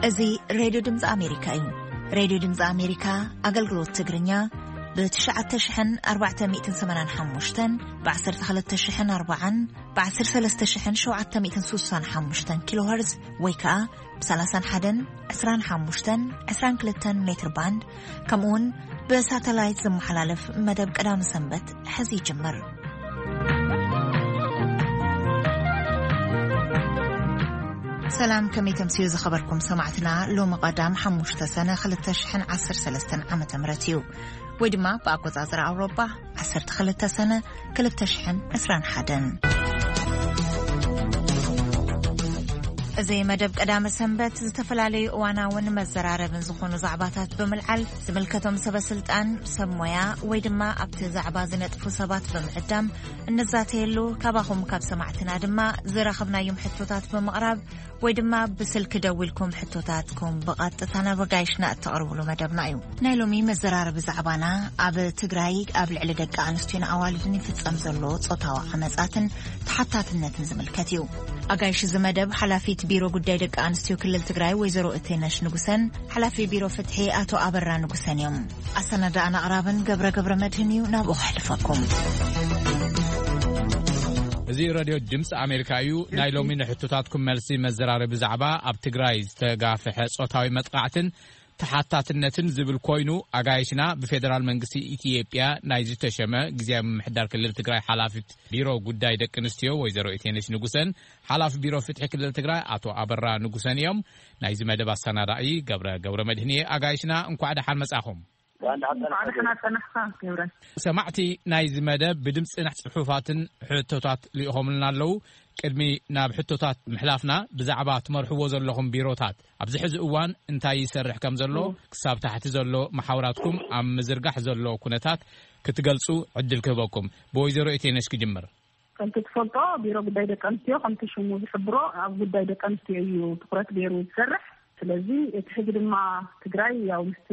እዚ ሬድዮ ድምፂ ኣሜሪካ እዩ። ሬድዮ ድምፂ ኣሜሪካ ኣገልግሎት ትግርኛ ብ ትሽዓተ ሽሕን ኣርባዕተ ሚእትን ሰማንያን ሓሙሽተን፣ ብ ዓሰርተ ክልተ ሽሕን ኣርባዓን፣ ብ ዓሰርተ ሰለስተ ሽሕን ሸውዓተ ሚእትን ስሳን ሓሙሽተን ኪሎ ሄርዝ ወይ ከዓ ብ ሰላሳን ሓደን፣ ዕስራን ሓሙሽተን፣ ዕስራን ክልተን ሜትር ባንድ፣ ከምኡውን ብሳተላይት ዝመሓላለፍ መደብ ቀዳም ሰንበት ሕዚ ይጅምር። ሰላም፣ ከመይ ተምስዩ ዝኸበርኩም ሰማዕትና? ሎሚ ቀዳም ሓሙሽተ ሰነ ክልተ ሽሕን ዓሰርተ ሰለስተን ዓመተ ምህረት እዩ፣ ወይ ድማ ብኣቆጻጽራ ኣውሮጳ ዓሰርተ ክልተ ሰነ ክልተ ሽሕን ዕስራን ሓደን። እዚ መደብ ቀዳመ ሰንበት ዝተፈላለዩ እዋናውን መዘራረብን ዝኾኑ ዛዕባታት ብምልዓል ዝምልከቶም ሰበ ስልጣን፣ ሰብ ሞያ ወይ ድማ ኣብቲ ዛዕባ ዝነጥፉ ሰባት ብምዕዳም እንዛተየሉ፣ ካባኹም ካብ ሰማዕትና ድማ ዝረኸብናዮም ሕቶታት ብምቕራብ ወይ ድማ ብስልኪ ደዊልኩም ሕቶታትኩም ብቐጥታ ናብ ኣጋይሽና እተቕርብሉ መደብና እዩ። ናይ ሎሚ መዘራረቢ ዛዕባና ኣብ ትግራይ ኣብ ልዕሊ ደቂ ኣንስትዮን ኣዋልድን ይፍጸም ዘሎ ጾታዊ ዓመጻትን ተሓታትነትን ዝምልከት እዩ። ኣጋይሽ እዚ መደብ ሓላፊት ቢሮ ጉዳይ ደቂ ኣንስትዮ ክልል ትግራይ ወይዘሮ እቴነሽ ንጉሰን ሓላፊ ቢሮ ፍትሒ ኣቶ ኣበራ ንጉሰን እዮም። ኣሰናዳእን ኣቕራብን ገብረ ገብረ መድህን እዩ። ናብኡ ከሕልፈኩም። እዚ ሬድዮ ድምፂ ኣሜሪካ እዩ። ናይ ሎሚ ንሕቶታትኩም መልሲ መዘራረቢ ዛዕባ ኣብ ትግራይ ዝተጋፍሐ ጾታዊ መጥቃዕትን ተሓታትነትን ዝብል ኮይኑ፣ ኣጋይሽና ብፌደራል መንግስቲ ኢትዮጵያ ናይ ዝተሸመ ግዝያዊ ምምሕዳር ክልል ትግራይ ሓላፊት ቢሮ ጉዳይ ደቂ ኣንስትዮ ወይዘሮ ኢቴነሽ ንጉሰን ሓላፊ ቢሮ ፍትሒ ክልል ትግራይ ኣቶ ኣበራ ንጉሰን እዮም። ናይዚ መደብ ኣሰናዳኢ ገብረ ገብረ መድህን እየ። ኣጋይሽና እንኳዕ ደሓን መጻኹም። እንኳዕ ደሓን ኣጸናሕካ ገብረ። ሰማዕቲ ናይዚ መደብ ብድምፅን ጽሑፋትን ሕቶታት ልኢኾምልና ኣለዉ። ቅድሚ ናብ ሕቶታት ምሕላፍና ብዛዕባ ትመርሕዎ ዘለኹም ቢሮታት ኣብዚ ሕዚ እዋን እንታይ ይሰርሕ ከም ዘሎ፣ ክሳብ ታሕቲ ዘሎ መሓውራትኩም ኣብ ምዝርጋሕ ዘሎ ኩነታት ክትገልጹ ዕድል ክህበኩም። ብወይዘሮ ኢቴነሽ ክጅምር። ከምቲ ትፈልጦ ቢሮ ጉዳይ ደቂ ኣንስትዮ ከምቲ ሽሙ ዝሕብሮ ኣብ ጉዳይ ደቂ ኣንስትዮ እዩ ትኹረት ገይሩ ዝሰርሕ። ስለዚ እቲ ሕዚ ድማ ትግራይ ያው ምስቲ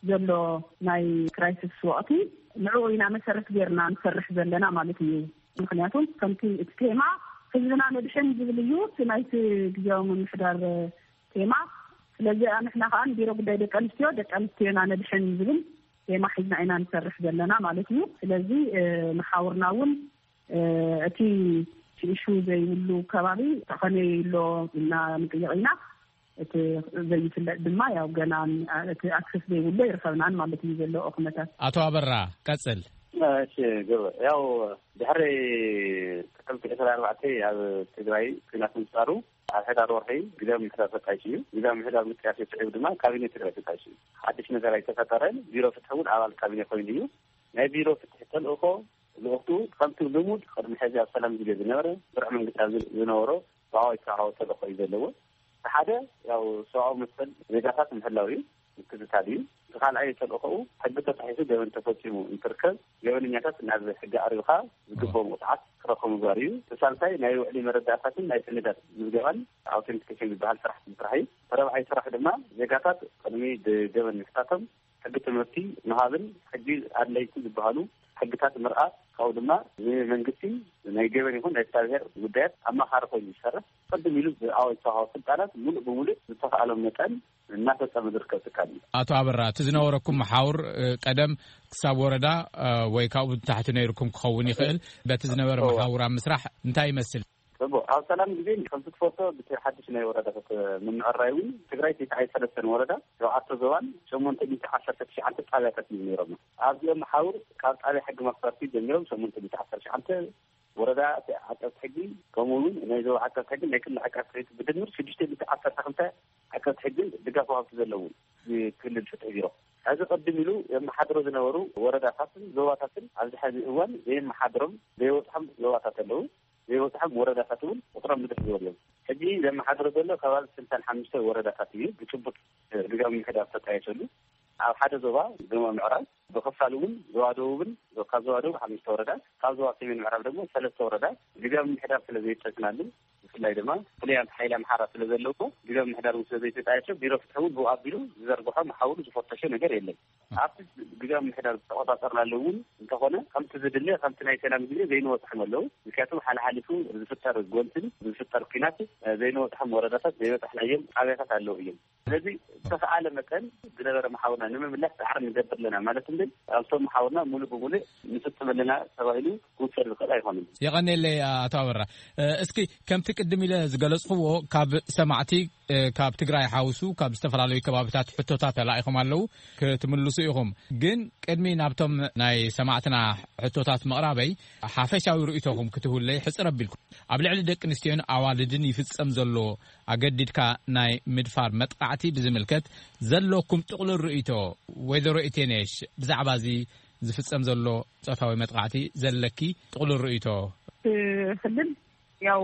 ዘሎ ናይ ክራይሲስ ወቕቲ ንዕኡ ኢና መሰረት ገይርና ንሰርሕ ዘለና ማለት እዩ። ምክንያቱ ከምቲ እቲ ቴማ ህዝብና ነድሕን ዝብል እዩ እቲ ናይቲ ግዜያዊ ምምሕዳር ቴማ። ስለዚ ንሕና ከዓ ንቢሮ ጉዳይ ደቂ ኣንስትዮ ደቂ ኣንስትዮና ነድሕን ዝብል ቴማ ሒዝና ኢና ንሰርሕ ዘለና ማለት እዩ። ስለዚ መሓውርና እውን እቲ ሽእሹ ዘይብሉ ከባቢ ተኸነዩ ኣሎ ኢልና ንጥይቕ ኢና። እቲ ዘይፍለጥ ድማ ያው ገና እቲ ኣክሰስ ዘይብሉ ይርከብናን ማለት እዩ ዘሎ ኩነታት። ኣቶ ኣበራ ቀጽል። እሺ፣ ግብር ያው ድሕሪ ጥቅምቲ ዕስራን ኣርባዕተን ኣብ ትግራይ ኩናት ምፍጣሩ ኣብ ሕዳር ወርሒ ግዳም ምሕዳር ተጣይሹ እዩ። ግዳም ምሕዳር ምጥያሽ ስዒቡ ድማ ካቢኔ ትግራይ ተጣይሹ እዩ። ሓድሽ ነገር ኣይተፈጠረን። ቢሮ ፍትሒ እውን ኣባል ካቢኔ ኮይኑ እዩ። ናይ ቢሮ ፍትሒ ተልእኮ ልኡኽቱ ከምቲ ልሙድ ቅድሚ ሕዚ ኣብ ሰላም ግዜ ዝነበረ ስሩዕ መንግስቲ ኣብ ዝነበሮ ሰብኣዊ ተልእኮ እዩ ዘለዎ። እቲ ሓደ ያው ሰብኣዊ መሰል ዜጋታት ምሕላው እዩ፣ ምክትታል እዩ። እቲ ካልኣይ ተልእኮኡ ሕጊ ተጣሒሱ ገበን ተፈፂሙ እንትርከብ ገበነኛታት ናብ ሕጊ ኣቅሪብካ ዝግብኦም ቅፅዓት ክረኽቡ ምግባር እዩ። እቲ ሳልሳይ ናይ ውዕሊ መረዳእታትን ናይ ሰነዳት ምዝገባን ኣውቴንቲኬሽን ዝበሃል ስራሕ ምስራሕ እዩ። እቲ ረብዓይ ስራሕ ድማ ዜጋታት ቅድሚ ገበን ምሕታቶም ሕጊ ትምህርቲ ምሃብን ሕጊ ኣድለይቲ ዝበሃሉ ሕግታት ምርኣት ካብኡ ድማ ንመንግስቲ ናይ ገበን ይኹን ናይ ፍትሐብሔር ጉዳያት ኣማኻሪ ኮይኑ ዝሰርሕ ቅድም ኢሉ ብኣዋጅ ዝተዋህቦ ስልጣናት ሙሉእ ብሙሉእ ዝተኸኣሎም መጠን እናፈፀመ ዝርከብ ትካል እዩ። ኣቶ ኣበራ እቲ ዝነበረኩም መሓውር ቀደም ክሳብ ወረዳ ወይ ካብኡ ንታሕቲ ነይርኩም ክኸውን ይኽእል። በቲ ዝነበረ መሓውር ኣብ ምስራሕ እንታይ ይመስል? ጽቡቕ ኣብ ሰላም ግዜ ከምቲ ትፈልጦ ብቲ ሓድሽ ናይ ወረዳታት ምምዕራይ እውን ትግራይ ተስዓይ ሰለስተን ወረዳ ሸውዓተ ዞባን ሸሞንተ ሚእቲ ዓሰርተ ትሽዓተ ጣብያታት እዩ ነይሮም። ኣብዚኦም መሓውር ካብ ጣብያ ሕጊ መክፈርቲ ጀሚሮም ሸሞንተ ሚእቲ ዓሰርተ ትሽዓተ ወረዳ ዓቀብቲ ሕጊ ከምኡ እውን ናይ ዞባ ዓቀብቲ ሕጊ ናይ ክልል ዓቀብቲ ሕጊ ብድምር ሽዱሽተ ሚእቲ ዓሰርተ ክልተ ዓቀብቲ ሕጊን ድጋፍ ወሃብቲ ዘለዎም ክልል ፍትሒ ቢሮ ሕዚ ቅድም ኢሉ የመሓድሮ ዝነበሩ ወረዳታትን ዞባታትን ኣብዚ ሕዚ እዋን ዘየመሓድሮም ዘይወፅሖም ዞባታት ኣለዉ። ዘይወፅሖም ወረዳታት እውን ቁፅሮም ብዝሕ ዝበሉ እዮም። ሕጂ ዘመሓድሮ ዘሎ ከባቢ ስልሳን ሓሙሽተ ወረዳታት እዩ ብጭቡጥ ግዛዊ ምምሕዳር ተጣየሸሉ። ኣብ ሓደ ዞባ ዞባ ምዕራብ ብክፋል እውን ዞባ ደቡብን ካብ ዞባ ደቡብ ሓሙሽተ ወረዳ ካብ ዞባ ሰሜን ምዕራብ ደግሞ ሰለስተ ወረዳ ግዛዊ ምምሕዳር ስለ ዘይጠቅናሉ ብፍላይ ድማ ፍሉያት ሓይሊ ኣምሓራ ስለ ዘለውዎ፣ ግዜ ምሕዳር እውን ስለ ዘይተጣየሸ፣ ቢሮ ፍትሒ እውን ብኡ ኣቢሉ ዝዘርግሖ፣ መሓውሩ ዝፈተሾ ነገር የለን። ኣብቲ ግዜ ምሕዳር ዝተቆጻጸርናሉ እውን እንተኾነ፣ ከምቲ ዝድለ፣ ከምቲ ናይ ሰላም ግዜ ዘይንበጽሖም ኣለዉ። ምክንያቱ ሓለሓሊፉ ዝፍጠር ጎንትን ዝፍጠር ኲናት፣ እ፣ ዘይንበጽሖም ወረዳታት፣ ዘይበጻሕናዮም ጣብያታት ኣለዉ እዮም። ስለዚ ዝተኽኣለ መጠን ዝነበረ መሓውርና ንምምላስ ጻዕሪ ንገብር ኣለና ማለት እንድን፣ ኣብቶም መሓውርና ሙሉእ ብሙሉእ ንፍጽም ኣለና ተባሂሉ ክውሰድ ዝኽእል ኣይኾነን። የቐኔለይ ኣቶ ኣበራ። እ፣ እስኪ ከምቲ ቅድም ኢለ ዝገለጽኽዎ፣ ካብ ሰማዕቲ፣ እ፣ ካብ ትግራይ ሓውሱ ካብ ዝተፈላለዩ ከባቢታት ሕቶታት ተላኢኹም ኣለዉ፣ ክትምልሱ ኢኹም። ግን ቅድሚ ናብቶም ናይ ሰማዕትና ሕቶታት ምቕራበይ፣ ሓፈሻዊ ርእይቶኹም ክትህቡለይ ሕጽር ኣቢልኩም። ኣብ ልዕሊ ደቂ ኣንስትዮን ኣዋልድን ይፍጸም ዘሎ ኣገዲድካ ናይ ምድፋር መጥቃዕቲ ብዝምልከት ዘለኩም ጥቕሉል ርእይቶ፣ ወይዘሮ ኢቴኔሽ፣ ብዛዕባ እዚ ዝፍጸም ዘሎ ጾታዊ መጥቃዕቲ ዘለኪ ጥቕሉል ርእይቶ? እቲ ክልል፣ ያው፣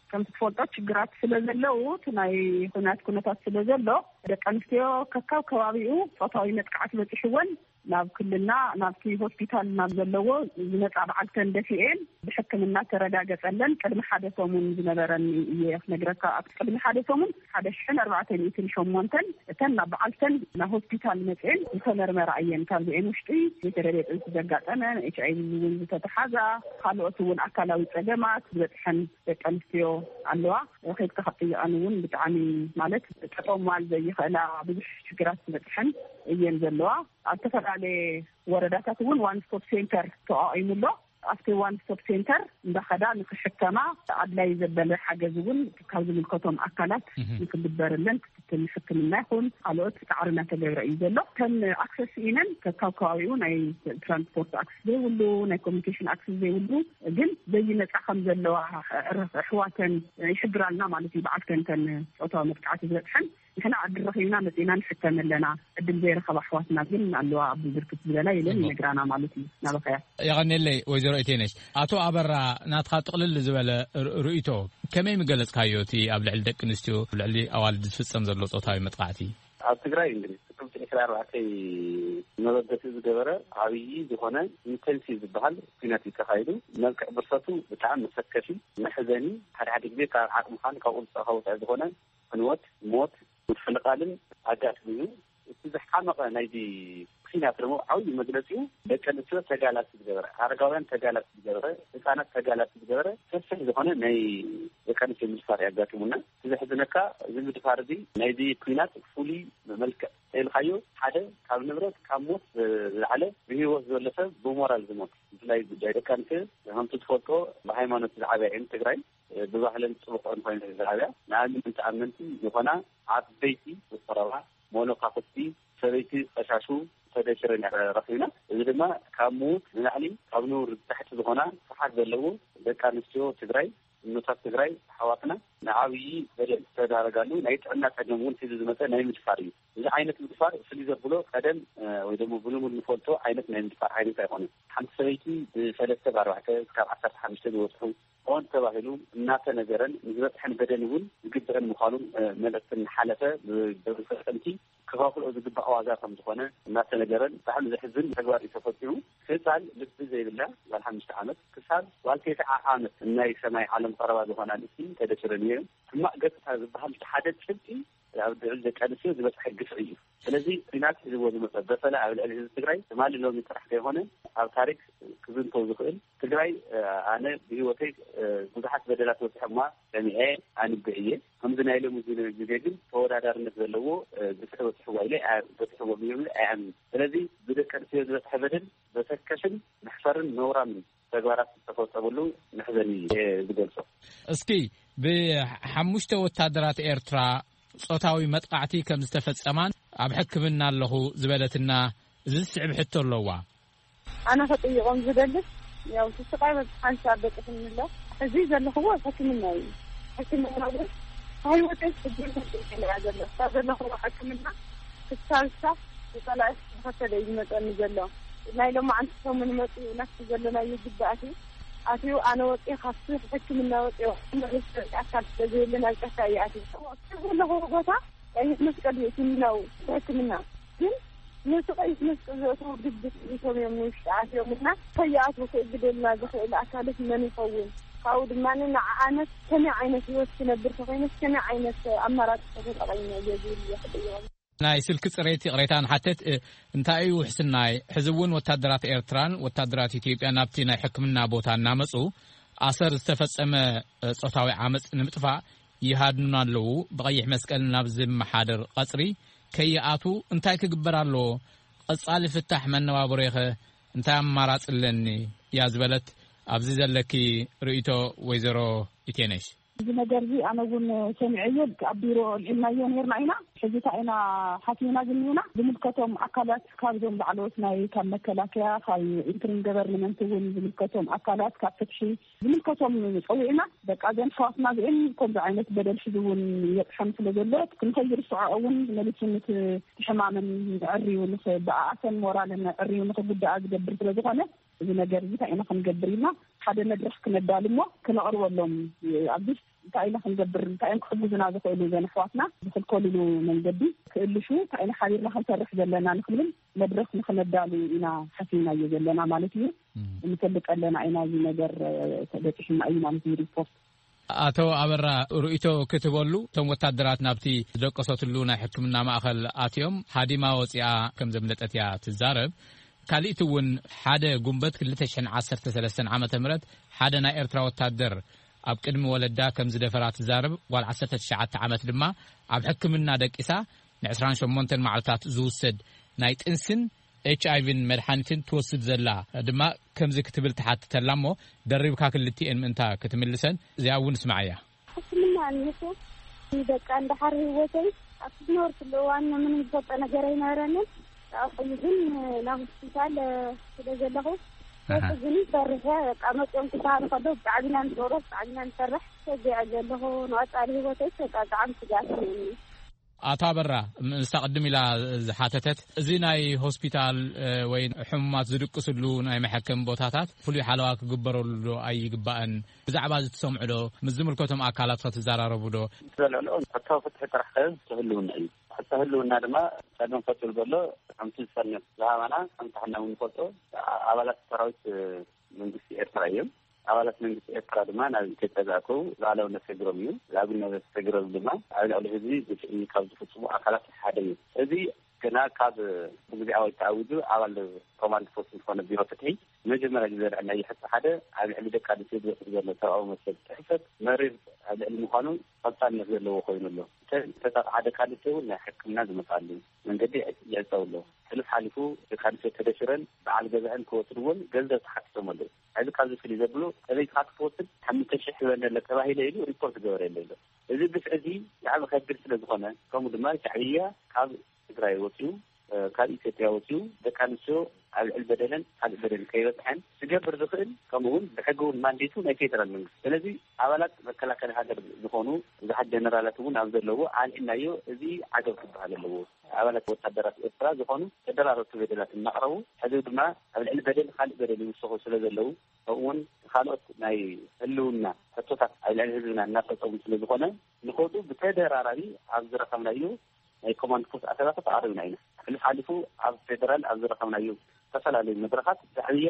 ከምቲ ትፈልጦ፣ ችግራት ስለ ዘለዉ፣ እቲ ናይ ኩናት ኩነታት ስለ ዘሎ፣ ደቂ ኣንስትዮ ከካብ ከባቢኡ ጾታዊ መጥቃዕቲ በጺሕወን ናብ ክልልና፣ ናብቲ ሆስፒታል ናብ ዘለዎ ዝመጻ በዓልተን ደፊኤን፣ ብሕክምና ተረጋገጸለን። ቅድሚ ሓደ ሰሙን ዝነበረን እየ ክነግረካ። ኣብ ቅድሚ ሓደ ሰሙን ሓደ ሽሕን ኣርባዕተ ሚእትን ሸሞንተን እተን ናብ በዓልተን ናብ ሆስፒታል መጽኤን ዝተመርመራ እየን። ካብዚኤን ውሽጢ ዘይተደልየ ጥንሲ ዘጋጠመን፣ ኤች ኣይ ቪ እውን ዝተተሓዛ፣ ካልኦት እውን ኣካላዊ ጸገማት ዝበጽሐን ደቂ ኣንስትዮ ኣለዋ። ከይድካ ካብ ጥይቐን እውን ብጣዕሚ፣ ማለት፣ ጠጠው ማል ዘይኽእላ ብዙሕ ሽግራት ዝበጽሐን እየን ዘለዋ። ኣብ ዝተፈላለየ ወረዳታት እውን ዋን ስቶፕ ሴንተር ተቋቒሙ ኣሎ። ኣብቲ ዋን ስቶፕ ሴንተር እንዳኸዳ ንክሕከማ ኣድላይ ዘበለ ሓገዝ እውን ካብ ዝምልከቶም ኣካላት ንክግበርለን፣ ክትትል ሕክምና ይኹን ካልኦት ጻዕሪ እናተገብረ እዩ ዘሎ። ከም ኣክሰስ ኢነን ከካብ ከባቢኡ ናይ ትራንስፖርት ኣክሰስ ዘይብሉ፣ ናይ ኮሚኒኬሽን ኣክሰስ ዘይብሉ፣ ግን ዘይመጻ ከም ዘለዋ ኣሕዋተን ይሕብራልና ማለት እዩ። በዓልተን ከን ጾታዊ መጥቃዕቲ ዝበጽሐን ንሕና ዕድል ረኺብና መጺእና ንሕከም ኣለና፣ ዕድል ዘይረኸባ ኣሕዋትና ግን ኣለዋ፣ ኣብ ብርክት ዝበላ ኢለን ይነግራና ማለት እዩ። ናበኸያ የቐኔለይ ወይዘሮ ኢቴነሽ። ኣቶ ኣበራ፣ ናትካ ጥቕልል ዝበለ ር-፣ ርእይቶ ከመይ ምገለጽካዮ፣ እቲ ኣብ ልዕሊ ደቂ ኣንስትዮ፣ ኣብ ልዕሊ ኣዋልድ ዝፍጸም ዘሎ ጾታዊ መጥቃዕቲ? ኣብ ትግራይ እንግዲህ ጥቅምቲ ዕስራ ኣርባዕተ መበገሲ ዝገበረ ዓብዪ ዝኾነ ኢንቴንሲቭ ዝበሃል ኲናት እዩ ተኻይዱ። መልክዕ ብርሰቱ ብጣዕሚ መሰከፊ፣ መሕዘኒ፣ ሓደ ሓደ ግዜ ካብ ዓቕምኻን ካብ ቁፅፅርካ ወፃኢ ዝኾነ ዕንወት፣ ሞት፣ ምፍንቓልን ኣጋጢሙ እዩ። እቲ ዝሓመቐ ናይዚ ኲናት ደግሞ ዓብዪ መግለፂኡ ደቂ ኣንስትዮ ተጋላቲ ዝገበረ፣ ኣረጋውያን ተጋላቲ ዝገበረ፣ ህፃናት ተጋላቲ ዝገበረ ሰፊሕ ዝኾነ ናይ ደቂ ኣንስትዮ ምድፋር የጋጥሙና። እቲ ዘሕዝነካ፣ እዚ ምድፋር እዚ ናይዚ ኲናት ፍሉይ መልክዕ ተልካዮ፣ ሓደ ካብ ንብረት ካብ ሞት ዝለዓለ ብህይወት ዘሎ ሰብ ብሞራል ዝሞት፣ ብፍላይ ጉዳይ ደቂ ኣንስትዮ ከምቲ ትፈልጦ ብሃይማኖት ዝዓበያ እየን ትግራይ። ብባህለን ፅቡቅ እንኮይነ ዝዓብያ ንኣምን ኣመንቲ ዝኾና ዓበይቲ ዝቆረባ ሞኖካፍቲ ሰበይቲ ቀሻሹ ተደሽረን እያ ረኺብና። እዚ ድማ ካብ ምዉት ንላዕሊ ካብ ንቡር ታሕቲ ዝኾና ስፍሓት ዘለዎ ደቂ ኣንስትዮ ትግራይ፣ እኖታት ትግራይ ኣሕዋትና ንዓብዪ በደል ዝተዳረጋሉ ናይ ጥዕና ፀገም እውን ሒዙ ዝመፀ ናይ ምድፋር እዩ። እዚ ዓይነት ምድፋር ፍልይ ዘብሎ ቀደም፣ እ፣ ወይ ደግሞ ብልሙድ ንፈልጦ ዓይነት ናይ ምድፋር ዓይነት ኣይኮነን። ሓንቲ ሰበይቲ ብሰለስተ ብኣርባዕተ እስካብ ዓሰርተ ሓሙሽተ ዝበፅሑ ሆን ተባሂሉ እናተነገረን ንዝበፅሐን በደል እውን ዝግብአን ምዃኑ፣ እ፣ መልእኽቲ እናሓለፈ ብግብሪ ፈፀምቲ ክኸፍልኦ ዝግባእ ዋጋ ከም ዝኾነ እናተነገረን ብጣዕሚ ዘሕዝን ተግባር እዩ ተፈፂሙ። ህፃን ልቢ ዘይብላ ጓል ሓሙሽተ ዓመት ክሳብ ጓል ተስዓ ዓመት ናይ ሰማይ ዓለም ቀረባ ዝኾና ኣንስቲ ተደፊረን እየን። ሕማቕ ገፅታ ዝበሃል እቲ ሓደ ጭብጢ ኣብ ልዕሊ ደቂ ኣንስትዮ ዝበፅሐ ግፍዒ እዩ። ስለዚ ኲናት ሒዝዎ ዝመፀ በሰላ ኣብ ልዕሊ ህዝቢ ትግራይ ትማሊ ሎሚ ጥራሕ ዘይኮነ ኣብ ታሪክ ክዝንተው ዝኽእል። ትግራይ፣ እ፣ ኣነ ብህይወተይ፣ እ፣ ብዙሓት በደላት በፂሖማ ሰሚዐ ኣንብዕ እየ። ከምዚ ናይ ሎሚ ግዜ ግን ተወዳዳርነት ዘለዎ፣ እ፣ ግፍዒ በፂሕዋ ኢለ ኣይ-፣ በፂሕዎም እዮም ኢለ ኣይኣምንን። ስለዚ ብደቂ ኣንስትዮ ዝበፅሐ በደል ዘሰከፍን መሕፈርን ነውራምን ተግባራት ዝተፈጸመሉ መሕዘኒ እየ ዝገልጾ። እስኪ ብሓሙሽተ ወታደራት ኤርትራ ጾታዊ መጥቃዕቲ ከም ዝተፈጸማን ኣብ ሕክምና ኣለኹ ዝበለትና እዚ ዝስዕብ ሕቶ ኣለዋ። ኣነ ክጥይቖም ዝደልስ፣ ያው፣ እቲ ስቃይ በብሓንሳብ በጺሑኒ ኣሎ። እዚ ዘለኽዎ ኣብ ሕክምና እዩ። ሕክምና እውን ካብ ህይወተይ ክጅምር ኢለ እያ ዘሎ። ካብ ዘለኽዎ ሕክምና ክሳብ ክሳብ ብጸላኢ ዝተኸተለ እዩ ዝመጸኒ ዘሎ። ናይ ሎማዓንቲ ሰሙን መጺኡ ናብቲ ዘለናዮ ግቢ ኣትዩ፣ ኣትዩ ኣነ ወጺኤ ካብቲ ሕክምና ወጺኤ መለስ ኣካል ስለ ዘየለ ናብ ጫካ እየ ኣትዩ። ኣብ ዘለኽዎ ቦታ ቀይሕ መስቀል እዩ እቲ ህክምናዊ ሕክምና። ግን ነቲ ቀይሕ መስቀል ዘእትዉ ግቢ ጥሪቶም እዮም ንውሽጢ ኣትዮም እና ከይኣትዉ ክእግደልና ዝኽእል ኣካልስ መን ይኸውን? ካብኡ ድማ ንዓኣነት ከመይ ዓይነት ህይወት ክነብር ተኾይነስ ከመይ ዓይነት ኣማራፂ ተጠቐምና እየ ዝብል እየ ክጥይቖም። ናይ ስልኪ ጽሬት ይቕሬታ ንሓተት፣ እ፣ እንታይ እዩ ውሕስናይ? ሕዚ እውን ወታደራት ኤርትራን ወታደራት ኢትዮጵያ ናብቲ ናይ ሕክምና ቦታ እናመጹ ኣሰር ዝተፈጸመ፣ እ፣ ጾታዊ ዓመጽ ንምጥፋእ ይሃድኑና ኣለዉ። ብቐይሕ መስቀል ናብ ዝመሓደር ቐጽሪ ከይኣቱ እንታይ ክግበር ኣለዎ? ቐጻሊ ፍታሕ መነባብሮይኸ እንታይ ኣማራጺ ኣለኒ? እያ ዝበለት። ኣብዚ ዘለኪ ርእይቶ ወይዘሮ ኢቴነሽ? እዚ ነገር እዚ ኣነ እውን ሰሚዐዮ፣ ኣብ ቢሮ ኣልዒልናዮ ነይርና ኢና። ሕዚ እንታይ ኢና ሓሲብና ዝኒና? ዝምልከቶም ኣካላት ካብዞም ላዕለዎት ናይ ካብ መከላከያ፣ ካብ ኢንትሪም ገቨርንመንት እውን ዝምልከቶም ኣካላት ካብ ፍትሒ ዝምልከቶም ጸዊዕና፣ በቃ እዘን ኣሕዋትና እዚአን ከምዚ ዓይነት በደል ሕዚ እውን ይበጽሐን ስለ ዘሎ ክንከይርስዖ እውን መሊሱ ንቲ ሕማመን ዕርዩ ንኽ-፣ ብኣኣሰን ሞራልን ዕርዩ ንኽጉዳኣ ዝገብር ስለ ዝኾነ፣ እዚ ነገር እዚ እንታይ ኢና ክንገብር ኢልና ሓደ መድረኽ ክነዳሉ እሞ ክነቕርበሎም፣ ኣብዚ እንታይ ኢና ክንገብር፣ እንታይ እዮም ክሕግዙና ዝኽእሉ፣ እዘን ኣሕዋትና ዝኽልከሉሉ መንገዲ ክእልሹ እንታይ ኢና ሓቢርና ክንሰርሕ ዘለና ንክንብል መድረኽ ንክነዳሉ ኢና ሓሲብናዮ ዘለና ማለት እዩ። እም። ንፈልጥ ኣለና ኢና፣ እዚ ነገር፣ እ፣ ተበፂሑና እዩ ማለት እዩ ሪፖርት። ኣቶ ኣበራ፣ ርእይቶ ክትበሉ፣ እቶም ወታደራት ናብቲ ዝደቀሰትሉ ናይ ሕክምና ማእኸል ኣትዮም፣ ሃዲማ ወፂኣ ከም ዘምለጠት እያ ትዛረብ። ካሊእቲ እውን ሓደ ጉንበት ክልተ ሽሕን ዓሰርተ ሰለስተን ዓመተ ምህረት ሓደ ናይ ኤርትራ ወታደር ኣብ ቅድሚ ወለዳ ከም ዝደፈራ ትዛረብ ጓል ዓሰርተ ትሽዓተ ዓመት ድማ ኣብ ሕክምና ደቂሳ ን ዕስራን ሸሞንተን መዓልታት ዝውሰድ ናይ ጥንስን ኤች ኣይ ቪን መድሓኒትን ትወስድ ዘላ ድማ ከምዚ ክትብል ትሓትተላ እሞ ደሪብካ ክልቲኤን ምእንታ ክትምልሰን እዚኣ እውን ስማዓያ። ሕክምና ኣንሱ ደቃ እንዳሓር ህይወተይ ኣብቲ ዝነበርኩሉ እዋን ምንም ዝፈልጦ ነገር ኣይነበረንን። ኣብኡ ግን ናብ ሆስፒታል፣ እ፣ ስለ ዘለኹ ኣሃ። ሕዚ ግን ፈሪሐ በቃ መፅኦም ክሰሃሉ ከለዉ ብጣዕሚ ኢና ንፅውሮ፣ ብጣዕሚ ኢና ንፈርሕ። ሰጊዐ ዘለኹ ንቐፃሊ ህይወተይ በቃ ብጣዕሚ ስግኣት እኒአኒ። ኣቶ ኣበራ፣ ንሳ ቅድም ኢላ ዝሓተተት፣ እዚ ናይ ሆስፒታል፣ እ፣ ወይ ሕሙማት ዝድቅስሉ ናይ መሐከሚ ቦታታት ፍሉይ ሓለዋ ክግበረሉ ዶ ኣይግባእን? ብዛዕባ እዚ ትሰምዑ ዶ? ምስ ዝምልከቶም ኣካላት ከ ትዘራረቡ ዶ? ዘልዕልኦ ሕቶ ፍትሒ ጥራሕ ከ ህልውና እዩ። ሕቶ ህልውና ድማ ጸገም ፈጢሩ ዘሎ ከምቲ ዝፈርነት ዝሃባና ከምቲ ሕና እውን ንፈልጦ ኣባላት ሰራዊት መንግስቲ ኤርትራ እዮም። ኣባላት መንግስቲ ኤርትራ ድማ ናብ ኢትዮጵያ ዝኣተው ሉዓላውነት ሃገሮም እዩ። ሉዓላውነት ሃገሮም ድማ ኣብ ልዕሊ ህዝቢ ግፍዒ ካብ ዝፍጽሙ ኣካላት ሓደ እዩ። እዚ ገና ካብ ብግዜያዊ ተኣዊጁ ኣባል ኮማንድ ፖስት ዝኾነ ቢሮ ፍትሒ መጀመርያ ግዜ ዘልዐልናዮ ሕቶ ሓደ ኣብ ልዕሊ ደቂ ኣንስትዮ ዝበፅሕ ዘሎ ሰብኣዊ መሰል ጥሕሰት መሪር ኣብ ልዕሊ ምዃኑ ቀፃልነት ዘለዎ ኮይኑ ኣሎ። እተን ዝተጠቕዓ ደቂ ኣንስትዮ እውን ናይ ሕክምና ዝመፅኣሉ መንገዲ ይዕፀው ኣሎ። ሕሉፍ ሓሊፉ ደቂ ኣንስትዮ ተደፊረን በዓል ገዛእን ክወስድዎን ገንዘብ ተሓቲቶም ኣለዉ። ሕዚ ካብዚ ፍልይ ዘብሎ ሰበይትኻ ክትወስድ ሓሙሽተ ሽሕ ህበኒ ኣሎ ተባሂለ ኢሉ ሪፖርት ገበረ የለ ኣሎ። እዚ ግፍዒ እዚ ብጣዕሚ ከቢድ ስለ ዝኾነ ከምኡ ድማ ሻዕብያ ካብ ትግራይ ወፂኡ፣ እ፣ ካብ ኢትዮጵያ ወፂኡ ደቂ ኣንስትዮ ኣብ ልዕሊ በደለን ካልእ በደል ከይበፅሐን ዝገብር ዝኽእል ከምኡ እውን ብሕጊ እውን ማንዴቱ ናይ ፌደራል መንግስቲ። ስለዚ ኣባላት መከላከሊ ሃገር ዝኾኑ ብዙሓት ጀነራላት እውን ኣብ ዘለዎ ኣልዒልናዮ። እዚ ዓገብ ክበሃል ኣለዎ። ኣባላት ወታደራት ኤርትራ ዝኾኑ ተደራረብቲ በደላት እናቕረቡ ሕዚ ድማ ኣብ ልዕሊ በደል ካልእ በደል ይውሰኹ ስለ ዘለዉ ከምኡ እውን ካልኦት ናይ ህልውና ሕቶታት ኣብ ልዕሊ ህዝብና እናፈፀሙ ስለ ዝኾነ ንኸዱ ብተደራራቢ ኣብ ዝረኸብናዮ ናይ ኮማንድ ፖስት ኣተታታት ኣቕሪብና ኢና። ሕሉፍ ሓሊፉ ኣብ ፌደራል ኣብ ዝረኸብናዮ ዝተፈላለዩ መድረኻት ሻዕብያ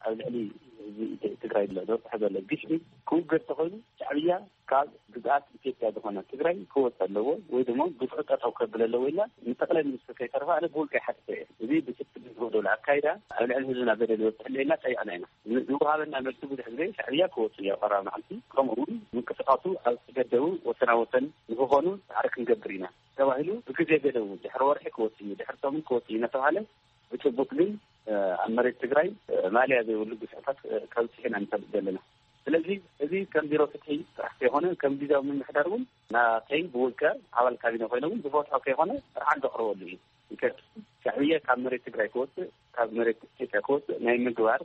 ኣብ ልዕሊ ህዝቢ ኢትዮ-፣ ትግራይ ዘሎ ዘብፅሖ ዘሎ ግፍዒ ክውገድ ተኾይኑ ሻዕብያ ካብ ግዝኣት ኢትዮጵያ ዝኾነ ትግራይ ክወፅእ ኣለዎ ወይ ድማ ግፍዒ ጠጠው ከብል ኣለዎ ኢልና ንጠቕላይ ሚኒስትር ከይተረፈ ኣነ ብውልቀይ ሓቲተ እየ። እዚ ብስክል ዝወደሉ ኣካይዳ ኣብ ልዕሊ ህዝብና በደል ይበፅሕ ኣሎ ኢልና ፀይቕና ኢና። ን-፣ ዝወሃበና መልሲ ብዙሕ ግዜ ሻዕብያ ክወፅእ እዩ ኣብ ቀረባ መዓልቲ፣ ከምኡ እውን ምንቅስቃሱ ኣብ ዝተገደቡ ወሰና ወሰን ንክኾኑ ፃዕሪ ክንገብር ኢና ተባሂሉ ብግዜ ገደቡ ድሕሪ ወርሒ ክወፅእ እዩ፣ ድሕሪ ሰሙን ክወፅእ እዩ እናተባሃለ ብጭቡጥ ግን፣ እ፣ ኣብ መሬት ትግራይ፣ እ፣ ማልያ ዘይብሉ ግፍዕታት፣ እ፣ ከብፅሕ ኢና ንፈልጥ ዘለና። ስለዚ እዚ ከም ቢሮ ፍትሒ ጥራሕ ከይኮነ ከም ግዜያዊ ምምሕዳር እውን ናተይ ብውልቀ ኣባል ካቢነ ኮይነ እውን ዝፈትሖ ከይኮነ ጥራሕ ዘቕርበሉ እዩ። ምክንያቱ ሻዕብያ ካብ መሬት ትግራይ ክወፅእ ካብ መሬት ኢትዮጵያ ክወፅእ ናይ ምግባር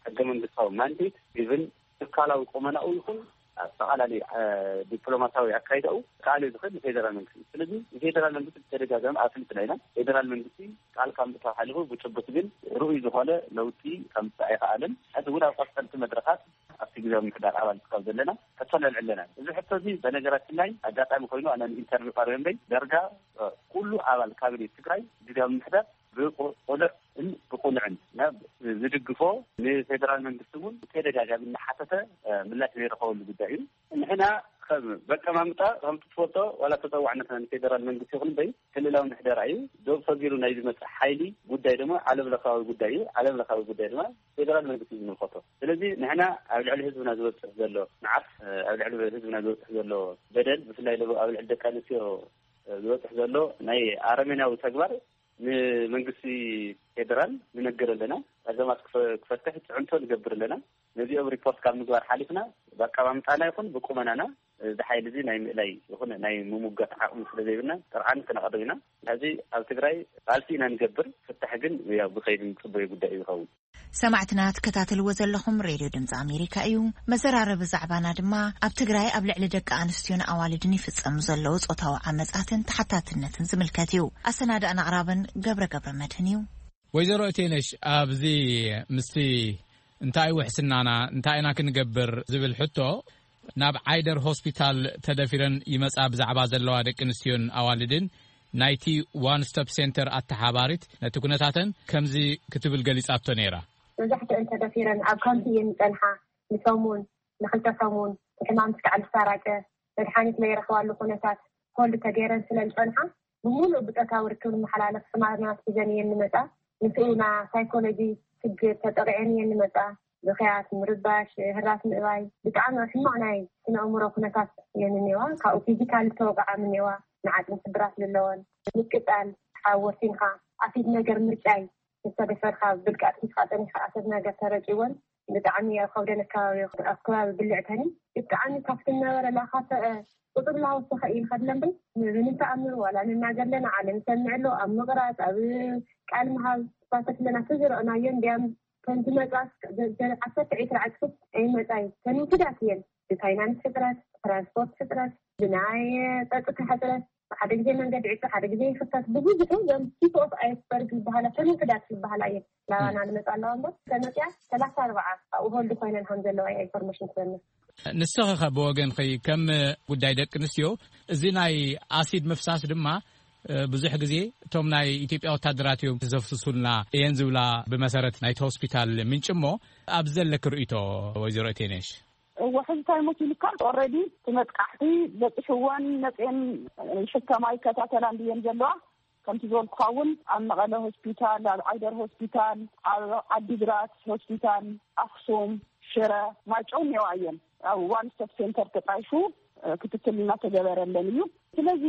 ሕገ መንግስታዊ ማንዴት ኢቭን ትካላዊ ቁመናኡ ይኹን ኣጠቓላሊ፣ እ፣ ዲፕሎማሲያዊ ኣካይዳኡ ክኣልዮ ዝኽእል ንፌደራል መንግስቲ እዩ። ስለዚ ንፌደራል መንግስቲ ብተደጋጋሚ ኣፍሊጥና ኢና። ፌደራል መንግስቲ ቃል ካብ ምእታው ሓሊፉ ብጭቡጥ ግን ርኡይ ዝኾነ ለውጢ ከምፅእ ኣይኸኣለን። ሕዚ እውን ኣብ ቀፀልቲ መድረኻት ኣብቲ ግዜያዊ ምምሕዳር ኣባል ካብ ዘለና ሕቶ ነልዕል ኣለና። እዚ ሕቶ እዚ በነገራችን ላይ ኣጋጣሚ ኮይኑ ኣነ ንኢንተርቪው ቀሪበ እምበይ ዳርጋ፣ እ፣ ኩሉ ኣባል ካቢኔት ትግራይ ግዜያዊ ምምሕዳር ብቁ- ቁኑዕን ብቁኑዕን ናብ ዝድግፎ ንፌደራል መንግስቲ እውን ተደጋጋሚ እናሓተተ ምላሽ ዘይረኸበሉ ጉዳይ እዩ። ንሕና ከም በቀማምጣ ከም ትፈልጦ ዋላ ተፀዋዕነትና ንፌደራል መንግስቲ ይኹን እምበይ ክልላዊ ምሕደራ እዩ። ዶብ ሰጊሩ ናይ ዝመፅእ ሓይሊ ጉዳይ ድማ ዓለም ለኻዊ ጉዳይ እዩ። ዓለም ለኻዊ ጉዳይ ድማ ፌደራል መንግስቲ እዩ ዝምልከቶ። ስለዚ ንሕና ኣብ ልዕሊ ህዝብና ዝበፅሕ ዘሎ መዓት ኣብ ልዕሊ ህዝብና ዝበፅሕ ዘሎ በደል ብፍላይ ኣብ ልዕሊ ደቂ ኣንስትዮ ዝበፅሕ ዘሎ ናይ ኣረሜናዊ ተግባር ንመንግስቲ ፌደራል ንነግር ኣለና። ኣዘማት ክፈትሕ ፅዕንቶ ንገብር ኣለና። ነዚኦም ሪፖርት ካብ ምግባር ሓሊፍና ብኣቀማምጣና ይኹን ብቁመናና እዚ ሓይሊ እዚ ናይ ምእላይ ይኹን ናይ ምሙጋት ዓቕሚ ስለ ዘይብልና ጥርዓን ክነቕርብ ኢና። ሕዚ ኣብ ትግራይ ቃልሲ ኢና ንገብር። ፍታሕ ግን ያው ብኸይዲ ንፅበዮ ጉዳይ እዩ ዝኸውን። ሰማዕትና ትከታተልዎ ዘለኹም ሬድዮ ድምፂ ኣሜሪካ እዩ። መዘራረቢ ዛዕባና ድማ ኣብ ትግራይ ኣብ ልዕሊ ደቂ ኣንስትዮን ኣዋልድን ይፍፀሙ ዘለዉ ፆታዊ ዓመፃትን ተሓታትነትን ዝምልከት እዩ። ኣሰናዳእን ኣቕራብን ገብረ ገብረ መድህን እዩ። ወይዘሮ እቴነሽ፣ ኣብዚ ምስቲ እንታይ ውሕስናና እንታይ ኢና ክንገብር ዝብል ሕቶ ናብ ዓይደር ሆስፒታል ተደፊረን ይመጻ ብዛዕባ ዘለዋ ደቂ ኣንስትዮን ኣዋልድን ናይቲ ዋን ስቶፕ ሴንተር ኣተሓባሪት ነቲ ኩነታተን ከምዚ ክትብል ገሊጻቶ ነይራ። መብዛሕትአን ተደፊረን ኣብ ካምፕ እየን ዝጸንሓ። ንሰሙን ንክልተ ሰሙን ሕማም ስካዕ ዝሳራጨ መድሓኒት ለይረኽባሉ ኩነታት ሆልድ ተገይረን ስለ ዝጸንሓ ብሙሉእ ብጾታዊ ርክብ ዝመሓላለፍ ሕማማት ሒዘን እየን ዝመጻ። ንስኡና ሳይኮሎጂ ችግር ተጠቂዐን እየን ዝመጻ። ብኽያት፣ ምርባሽ፣ ህራስ ምእባይ ብጣዕሚ ሕማቕ ናይ ስነ ኣእምሮ ኩነታት እየን እኒዋ። ካብኡ ፊዚካል ዝተወቅዓ እኒዋ፣ ንዓጽሚ ስብራት ዘለወን፣ ምቅጻል፣ ሓወሲንካ ኣሲድ ነገር ምርጫይ ምስ ተደፈርካ ብልቃጥ ሒዝካ ጸኒሕካ ኣሲድ ነገር ተረጭወን ብጣዕሚ ኣብ ከብደን ኣከባቢ ኣብ ከባቢ ብልዕተን ብጣዕሚ ካብቲ ነበረ ላኻተ ቁፅሪ ላወሰኸ እዩ ንኸድለን ብል ምንም ተኣምር ዋላ ንናገር ኣለና ዓለም ይሰምዕ ኣሎ ኣብ ምቕራፅ ኣብ ቃል ምሃብ ተሳተፍ ኣለና ተዝረእናዮ እንዲያም ከምቲ መፅኣስ ዓሰርተ ዒስራ ዕፅፍት ኣይመፃይ ተንውስዳት እየን ብፋይናንስ ሕፅረት ትራንስፖርት ሕፅረት ብናይ ፀጥታ ሕፅረት ሓደ ግዜ መንገዲ ዕፁ ሓደ ግዜ ይኽፈት ብብዝሑ ዞም ቲፕ ኦፍ ኣይስበርግ ዝበሃላ ተንውስዳት ዝበሃላ እየን ናባና ንመፃ ኣለዋ እምበር ተመፅያ ሰላሳ ኣርባዓ ኣብኡ ሆልድ ኮይነን ከም ዘለዋ እያ ኢንፎርሜሽን ትበና። ንስኺ ከ ብወገንኺ ከም ጉዳይ ደቂ ኣንስትዮ እዚ ናይ ኣሲድ ምፍሳስ ድማ ብዙሕ ግዜ እቶም ናይ ኢትዮጵያ ወታደራት እዮም ዘፍስሱልና እየን ዝብላ ብመሰረት ናይቲ ሆስፒታል ምንጭ እሞ ኣብዚ ዘለኪ ርእይቶ ወይዘሮ እቴነሽ? እወ ሕዚ እንታይ ሞት ኢልካ ኦረዲ እቲ መጥቃዕቲ በፂሕወን መፅኤን ይሕከማ ይከታተላ እንድየን ዘለዋ። ከምቲ ዝበልኩኻ እውን ኣብ መቐለ ሆስፒታል ኣብ ዓይደር ሆስፒታል ኣብ ዓዲግራት ሆስፒታል ኣክሱም ሽረ ማይጨው እኒዋ እየን ኣብ ዋን ስቶፕ ሴንተር ተጣይሹ ክትትል እናተገበረለን እዩ። ስለዚ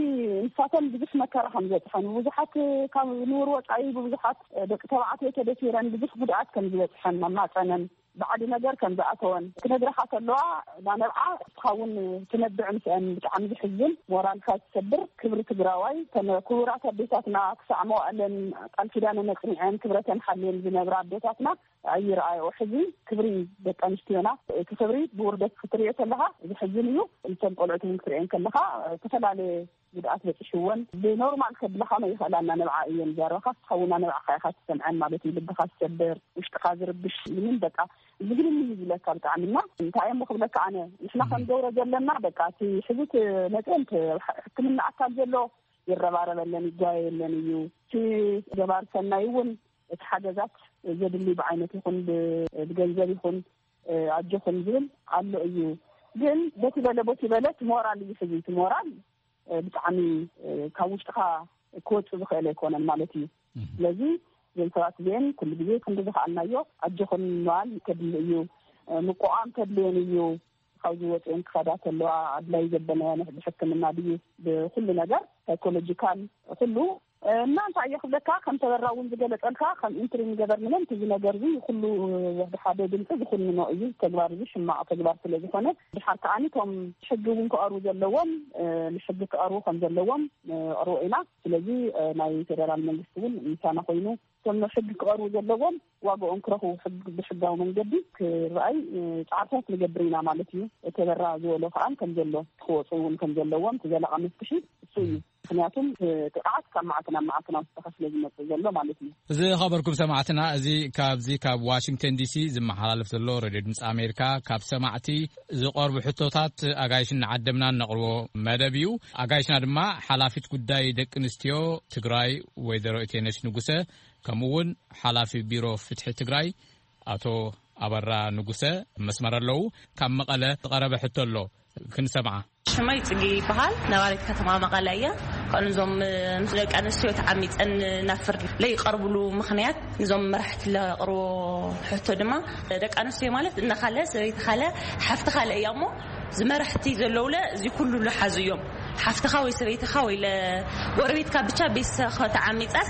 ንሳተን ብዙሕ መከራ ከም ዝበፅሐን ብዙሓት ካብ ንቡር ወፃኢ ብብዙሓት ደቂ ተባዕትዮ ተደፊረን ብዙሕ ጉድኣት ከም ዝበፅሐን ኣብ ማፀነን ባዕዲ ነገር ከም ዝኣተወን ክነግረኻ ከለዋ ናነብዓ እስኻ እውን ትነብዕ ምስአን ብጣዕሚ ዝሕዝን ሞራልካ ዝሰብር ክብሪ ትግራዋይ ተነ ክቡራት ኣዴታትና ክሳዕ መዋእለን ቃል ኪዳነን ኣፅኒዐን ክብረተን ሓልየን ዝነብራ ኣዴታትና ኣይረኣዮ ሕዚ ክብሪ ደቂ ኣንስትዮና እቲ ክብሪ ብውርደት ክትሪኦ ከለካ ዝሕዝን እዩ። እተን ቆልዑት እውን ክትሪኤን ከለካ ዝተፈላለየ ጉድኣት በፂሕወን ብኖርማል ከብለካ መይክእላ እናነብዓ እየን ዘረባካ ስሓውና ነብዓካ ኢካ ትሰምዐን ማለት እዩ ልብካ ዝሰብር ውሽጥካ ዝርብሽ ምንም በቃ ዝግልም እዩ ዝብለካ ብጣዕሚ እና እንታይ እሞ ክብለካ ኣነ ንሕና ከም ገብረ ዘለና በቃ እቲ ሕዚ መፅአን ሕክምና ኣካል ዘሎ ይረባረበለን ይጓየየለን እዩ እቲ ገባር ሰናይ እውን እቲ ሓገዛት ዘድሊ ብዓይነት ይኹን ብገንዘብ ይኹን ኣጆኹም ዝብል ኣሎ እዩ ግን በቲ በለ ቦቲ በለ እቲ ሞራል እዩ ሕዚ እቲ ሞራል ብጣዕሚ ካብ ውሽጥኻ ክወፅእ ዝኽእል ኣይኮነን ማለት እዩ ስለዚ እዘን ሰባት እዚአን ኩሉ ግዜ ክንዲ ዝኸኣልናዮ ኣጆኹም ምባል ከድሊ እዩ ምቁቋም ከድልየን እዩ ካብዚ ወፅአን ክኸዳ ከለዋ ኣድላይ ዘበናዮ ብሕክምና ድዩ ብኩሉ ነገር ሳይኮሎጂካል ኩሉ እና እንታይ እየ ክብለካ ከም ተበራ እውን ዝገለፀልካ ከም ኢንትሪ ንገበር ምንም እዚ ነገር እዚ ኩሉ ወዲ ሓደ ድምፂ ዝኩንኖ እዩ ተግባር እዚ ሕማቕ ተግባር ስለ ዝኾነ ድሓር ከዓኒ እቶም ሕጊ እውን ክቐርቡ ዘለዎም ንሕጊ ክቐርቡ ከም ዘለዎም ንቕርቦ ኢና ስለዚ ናይ ፌደራል መንግስቲ እውን ምሳና ኮይኑ እቶም ሕጊ ክቐርቡ ዘለዎም ዋግኦም ክረኽቡ ብሕጋዊ መንገዲ ክረኣይ ፃዕርታት ንገብር ኢና ማለት እዩ። ተበራ ዝበሎ ከዓ ከም ዘሎ ክወፁ እውን ከም ዘለዎም እቲ ዘላቂ መፍትሒ እሱ እዩ። ምክንያቱም፣ እ፣ ጥቕዓት ካብ መዓልቲ ናብ መዓልቲ ናብ ዝተኸፍለ ዝመጽእ ዘሎ ማለት እዩ። እዚ ኸበርኩም ሰማዕትና፣ እዚ ካብዚ ካብ ዋሽንግተን ዲሲ ዝመሓላለፍ ዘሎ ሬድዮ ድምፂ ኣሜሪካ ካብ ሰማዕቲ ዝቐርቡ ሕቶታት ኣጋይሽ እናዓደምና እነቕርቦ መደብ እዩ። ኣጋይሽና ድማ ሓላፊት ጉዳይ ደቂ ኣንስትዮ ትግራይ ወይዘሮ ኢቴነሽ ንጉሰ፣ ከምኡ እውን ሓላፊ ቢሮ ፍትሒ ትግራይ ኣቶ ኣበራ ንጉሰ መስመር ኣለዉ። ካብ መቐለ ዝቐረበ ሕቶ ኣሎ፣ ክንሰምዓ። ሽመይ ጽጌ ይበሃል። ነባሪት ከተማ መቐለ እየ። ከኑ እዞም ምስ ደቂ ኣንስትዮ ተዓሚጸን ናብ ፍርዲ ለይቀርብሉ ምኽንያት፣ ንዞም መራሕቲ ለቕርቦ ሕቶ ድማ፣ ደቂ ኣንስትዮ ማለት እነኻለ፣ ሰበይቲ ኻለ፣ ሓፍቲ ኻለ እያ እሞ፣ ዝመራሕቲ ዘለውለ እዚ ኩሉ ልሓዙ እዮም። ሓፍትኻ ወይ ሰበይትኻ ወይ ለጎረቤትካ ብቻ ቤተሰብኻ ተዓሚጻስ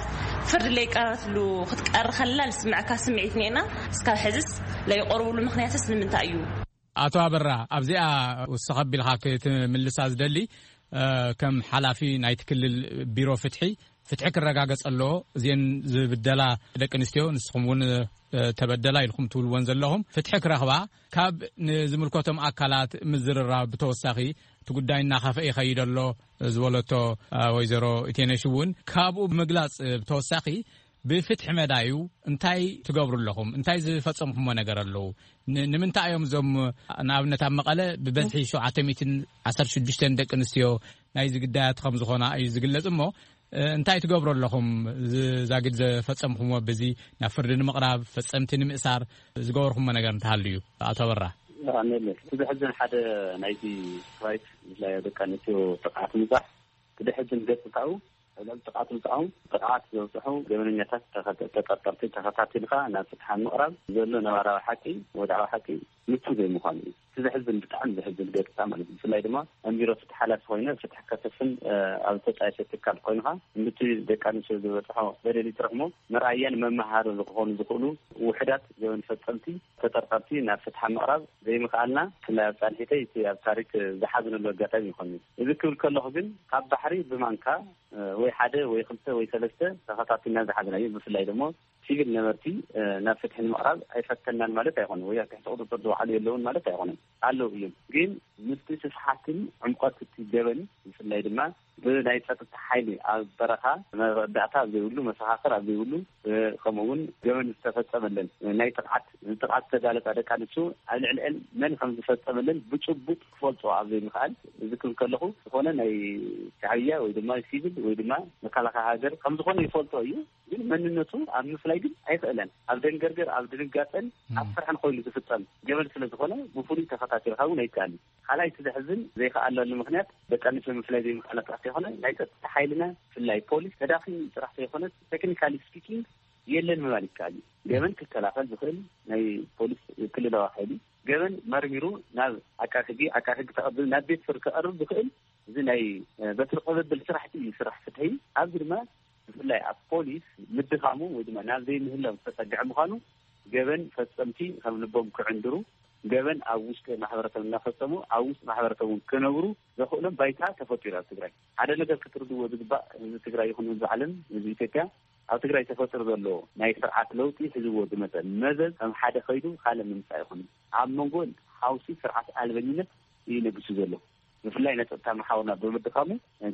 ፍርዲ ለይቀረትሉ ክትቀር ከላ ልስምዕካ ስምዒት ኔና፣ እስካብ ሕዝስ ለይቆርብሉ ምኽንያትስ ንምንታይ እዩ? ኣቶ ኣበራ፣ ኣብዚኣ ውስኽ ኣቢልካ ክትምልሳ ዝደሊ፣ እ፣ ከም ሓላፊ ናይቲ ክልል ቢሮ ፍትሒ፣ ፍትሒ ክረጋገጽ ኣለዎ። እዚአን ዝብደላ ደቂ ኣንስትዮ፣ ንስኹም እውን፣ እ፣ ተበደላ ኢልኩም ትብልወን ዘለኹም፣ ፍትሒ ክረኽባ ካብ ንዝምልከቶም ኣካላት ምዝርራብ ብተወሳኺ፣ እቲ ጉዳይ እናኸፍአ ይኸይድ ኣሎ ዝበለቶ፣ እ፣ ወይዘሮ ኢቴነሽ እውን ካብኡ ብምግላጽ፣ እ፣ ብተወሳኺ ብፍትሒ መዳዩ እንታይ ትገብሩ ኣለኹም? እንታይ ዝፈጸምኩሞ ነገር ኣለዉ? ን-፣ ንምንታይ እዮም እዞም፣ ንኣብነት ኣብ መቐለ ብበዝሒ ሸውዓተ ሚእትን ዓሰርተ ሽዱሽተን ደቂ ኣንስትዮ ናይዚ ግዳያት ከም ዝኾና እዩ ዝግለጽ እሞ፣ እ፣ እንታይ ትገብሩ ኣለኹም? ዝ-፣ ዛጊድ ዘፈጸምኩሞ በዚ ናብ ፍርዲ ንምቕራብ፣ ፈጸምቲ ንምእሳር ዝገበርኩሞ ነገር እንተሃልዩ፣ ኣቶ ኣበራ? ኣሜን። እቲ ዘሕዝን ሓደ ናይቲ ራይት፣ ብፍላይ ኣብ ደቂ ኣንስትዮ ጥቕዓት ምብዛሕ፣ እቲ ዘሕዝን ገጽታኡ፣ ኣብ ልዕሊ ጥቕዓት ምብዛሑ ጥቕዓት ዘብፅሑ ገበነኛታት ተኸ-፣ ተጠርጠርቲ ተኸታቲልካ ናብ ፍትሓ ምቕራብ ዘሎ ነባራዊ ሓቂ፣ ወድዓዊ ሓቂ ምቹ ዘይምዃኑ እዩ። እቲ ዘሕዝን፣ ብጣዕሚ ዘሕዝን ገጽታ ማለት እዩ። ብፍላይ ድማ ኣብ ቢሮ ፍትሒ ሓላፊ ኮይነ ፍትሒ ከሰፍን፣ እ፣ ኣብ ዝተጣየሰ ትካል ኮይንካ፣ ምቲ ደቂ ኣንስትዮ ዝበፅሖ በደል ይትረፍ እሞ፣ መርኣያን መመሃሪ ዝኾኑ ዝኽእሉ ውሕዳት ገበን ፈጸምቲ ተጠርጠርቲ ናብ ፍትሓ ምቕራብ ዘይምኽኣልና፣ ብፍላይ ኣብ ጻንሒተይ፣ እቲ ኣብ ታሪክ ዝሓዝነሉ ኣጋጣሚ ይኾን እዩ። እዚ ክብል ከለኹ ግን፣ ካብ ባሕሪ ብማንካ፣ እ፣ ወይ ሓደ ወይ ክልተ ወይ ሰለስተ ተኸታቲልና ዝሓዝናዮ፣ ብፍላይ ደሞ ሲቪል ነበርቲ፣ እ፣ ናብ ፍትሒ ንምቕራብ ኣይፈተናን ማለት ኣይኮነን፣ ወይ ኣብ ትሕቲ ቁጽጽር ዝወዓሉ የለውን ማለት ኣይኮነን፣ ኣለዉ እዮም። ግን ምስቲ ስፍሓትን ዕምቆት እቲ ገበን፣ ብፍላይ ድማ ብናይ ጸጥታ ሓይሊ ኣብ በረኻ መረዳእታ ኣብ ዘይብሉ፣ መሰኻኽር ኣብ ዘይብሉ፣ እ፣ ከምኡ እውን ገበን ዝተፈጸመለን ናይ ጥቕዓት፣ ንጥቕዓት ዝተጋለጻ ደቂ ኣንስትዮ ኣብ ልዕሊአን መን ከም ዝፈጸመለን ብጭቡጥ ክፈልጦ ኣብ ዘይምኽኣል፣ እዚ ክብል ከለኹ፣ ዝኾነ ናይ ሻዕብያ ወይ ድማ ሲቪል ወይ ድማ መከላኸያ ሃገር ከም ዝኾነ ይፈልጦ እዩ። ግን መንነቱ ኣብ ምፍላይ ግን ኣይኽእለን። ኣብ ደንገርገር፣ ኣብ ድንጋጸን ኣብ ፍርሕን ኮይኑ ዝፍጸም ገበን ስለ ዝኾነ፣ ብፍሉይ ተኸታቲልካ እውን ኣይከኣልን። ካልኣይ፣ እቲ ዘሕዝን ዘይከኣለሉ ምኽንያት፣ ደቂ ኣንስትዮ ምፍላይ ዘይምኽኣላ ጥራሕ ዘይኮነ፣ ናይ ጸጥታ ሓይልና፣ ብፍላይ ፖሊስ፣ ተዳኺሙ ጥራሕ ዘይኮነስ፣ ቴክኒካሊ ስፒኪንግ፣ የለን ምባል ይከኣል እዩ። ገበን ክከላኸል ዝኽእል ናይ ፖሊስ ክልላዊ ሓይሊ፣ ገበን መርሚሩ ናብ ዓቃቢ ሕጊ፣ ዓቃቢ ሕጊ ተቐብሉ ናብ ቤት ፍርዲ ከቐርብ ዝኽእል፣ እዚ ናይ፣ እ፣ በትሪ ቅብብል ስራሕቲ እዩ፣ ስራሕ ፍትሒ። ኣብዚ ድማ ብፍላይ ኣብ ፖሊስ ምድኻሙ ወይ ድማ ናብ ዘይምህላው ዝተጸግዐ ምዃኑ፣ ገበን ፈጸምቲ ከም ልቦም ክዕንድሩ፣ ገበን ኣብ ውሽጢ ማሕበረሰብ እናፈጸሙ ኣብ ውሽጢ ማሕበረሰብ እውን ክነብሩ ዘኽእሎም ባይታ ተፈጢሩ ኣብ ትግራይ። ሓደ ነገር ክትርድዎ ዝግባእ፣ ህዝቢ ትግራይ ይኹን ህዝቢ ዓለም፣ ህዝቢ ኢትዮጵያ፣ ኣብ ትግራይ ተፈጢሩ ዘሎ ናይ ስርዓት ለውጢ ሒዝዎ ዝመጸ መዘዝ ከም ሓደ ከይዱ ካልእ ምምጻእ ይኹን፣ ኣብ መንጎ ሓውሲ ስርዓት ኣልበኝነት እዩ ነጊሱ ዘሎ። ብፍላይ ነጸጥታ መሓውርና ብምድኻሙ፣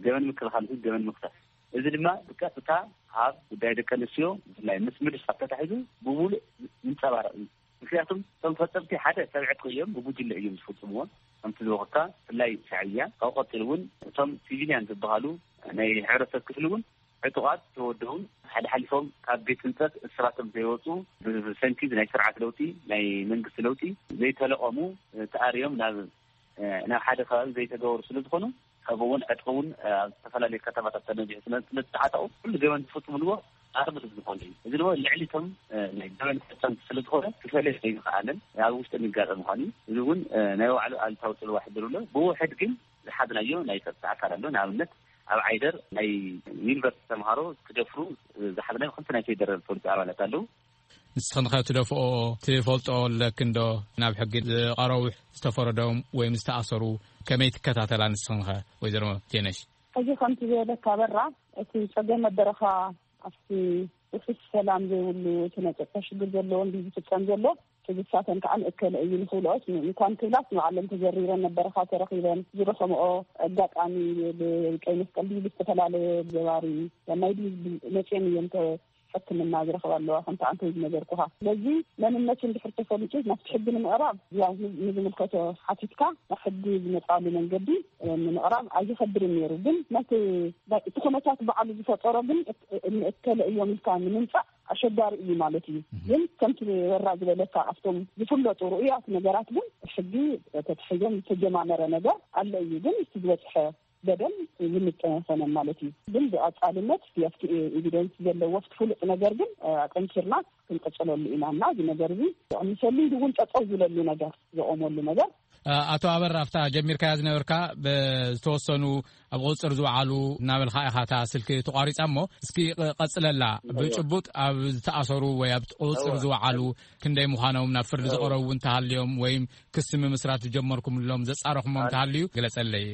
ገበን ምክልኻል ይኹን ገበን ምኽሳስ፣ እዚ ድማ ብቀጥታ ኣብ ጉዳይ ደቂ ኣንስትዮ፣ ብፍላይ ምስ ምድፋር ተታሒዙ፣ ብምሉእ ይንጸባረቕ እዩ። ምክንያቱም እቶም ፈጸምቲ ሓደ ሰብ ዕጥቂ እዮም፣ ብጉጅለ እዮም ዝፍጽምዎ። ከምቲ ዝበኹርካ፣ ብፍላይ ሻዕብያ፣ ካብኡ ቀጺሉ እውን እቶም ሲቪልያን ዝበሃሉ ናይ ሕብረተሰብ ክፍሊ እውን ዕጡቓት ተወደውን፣ ሓድሓሊፎም ካብ ቤት ህንጸት እስራቶም ዘይወጹ፣ ብሰንኪ ናይ ስርዓት ለውጢ፣ ናይ መንግስቲ ለውጢ ዘይተለቐሙ፣ ተኣርዮም ናብ፣ ናብ ሓደ ከባቢ ዘይተገበሩ ስለ ዝኾኑ፣ ከምኡ እውን ዕጥቂ እውን ኣብ ዝተፈላለዩ ከተማታት ተነዚሑ ስለ፣ ስለ ዝተዓጠቑ፣ ኩሉ ገበን ዝፍጽምልዎ ኣርምድ ዝኾነ እዩ። እዚ ድማ ልዕሊ እቶም ናይ ገበን ፈጸምቲ ስለ ዝኾነ፣ ክፈልዮ ዘይምኽኣልን ኣብ ውሽጢ ንጋጠ ምዃኑ እዩ። እዚ እውን ናይ ባዕሉ ኣሉታዊ ጽልዋ ይሕድር ኣሎ። ብውሕድ ግን ዝሓዝናዮ ናይ ጸጥታ ኣካል ኣሎ። ንኣብነት፣ ኣብ ዓይደር ናይ ዩኒቨርሲቲ ተምሃሮ ክደፍሩ ዝሓዝናዮ ክልተ ናይ ፌደራል ፖሊስ ኣባላት ኣለዉ። ንስኽን ኸ ትደፍኦ ትፈልጦ ኣለክን ዶ? ናብ ሕጊ ዝቐረቡ ዝተፈረዶም ወይም ዝተኣሰሩ ከመይ ትከታተላ ንስኽን ኸ ወይዘሮ ቴነሽ? ሕጂ ከምቲ ዝበለካ በራ፣ እቲ ጸገም ኣበረኻ ኣብቲ ውሑስ ሰላም ዘይብሉ፣ እቲ ናይ ጸጥታ ሽግር ዘለዎ እንዲ ዝፍጸም ዘሎ፣ ትግሳተን ከዓ ንእከለ እዩ ንክብልኦስ እንኳን ክብላስ ንባዕለን ተዘሪረን ነበረኻ ተረኺበን ዝረኸምኦ ኣጋጣሚ ብቀይ መስቀል ድዩ ብዝተፈላለየ ገባሪ ማይ ድዩ መፅኦም እዮም ሕክምና ዝረኽባ ኣለዋ ከምቲ ኣንተ ዝነገርኩኻ። ስለዚ መንነቱ እንድሕር ተፈሊጡ ናብቲ ሕጊ ንምቕራብ ያው ንዝምልከቶ ሓቲትካ ናብ ሕጊ ዝመፃሉ መንገዲ ንምቕራብ ኣይኸብድን ነይሩ። ግን ነቲ እቲ ኩነታት ባዕሉ ዝፈጠሮ ግን ንእከለ እዮም ኢልካ ንምምፃእ ኣሸጋሪ እዩ ማለት እዩ። ግን ከምቲ ወራ ዝበለካ ኣብቶም ዝፍለጡ ርኡያት ነገራት ግን ሕጊ ተትሒዞም ዝተጀማመረ ነገር ኣሎ እዩ። ግን እቲ ዝበፅሐ በደል ዝምጥን ኣይኮነን ማለት እዩ። ግን ብቐፃልነት ኣብቲ ኤቪደንስ ዘለዎ ኣብቲ ፍሉጥ ነገር ግን ኣጠንኪርና ክንቀፅለሉ ኢና እና እዚ ነገር እዚ ዝቕንሰሉ ኢሉ እውን ጠጠው ዝለሉ ነገር ዝቆመሉ ነገር ኣቶ ኣበር ኣብታ ጀሚርካያ ዝነበርካ ብዝተወሰኑ ኣብ ቁፅፅር ዝወዓሉ እናበልካ ኢኻ እታ ስልኪ ተቋሪፃ እሞ እስኪ ቀፅለላ። ብጭቡጥ ኣብ ዝተኣሰሩ ወይ ኣብ ቁፅፅር ዝወዓሉ ክንደይ ምዃኖም ናብ ፍርዲ ዝቐረቡ እውን ተሃልዮም ወይም ክሲ ምምስራት ዝጀመርኩምሎም ዘፃረኹሞም ተሃልዩ ግለፀለይ።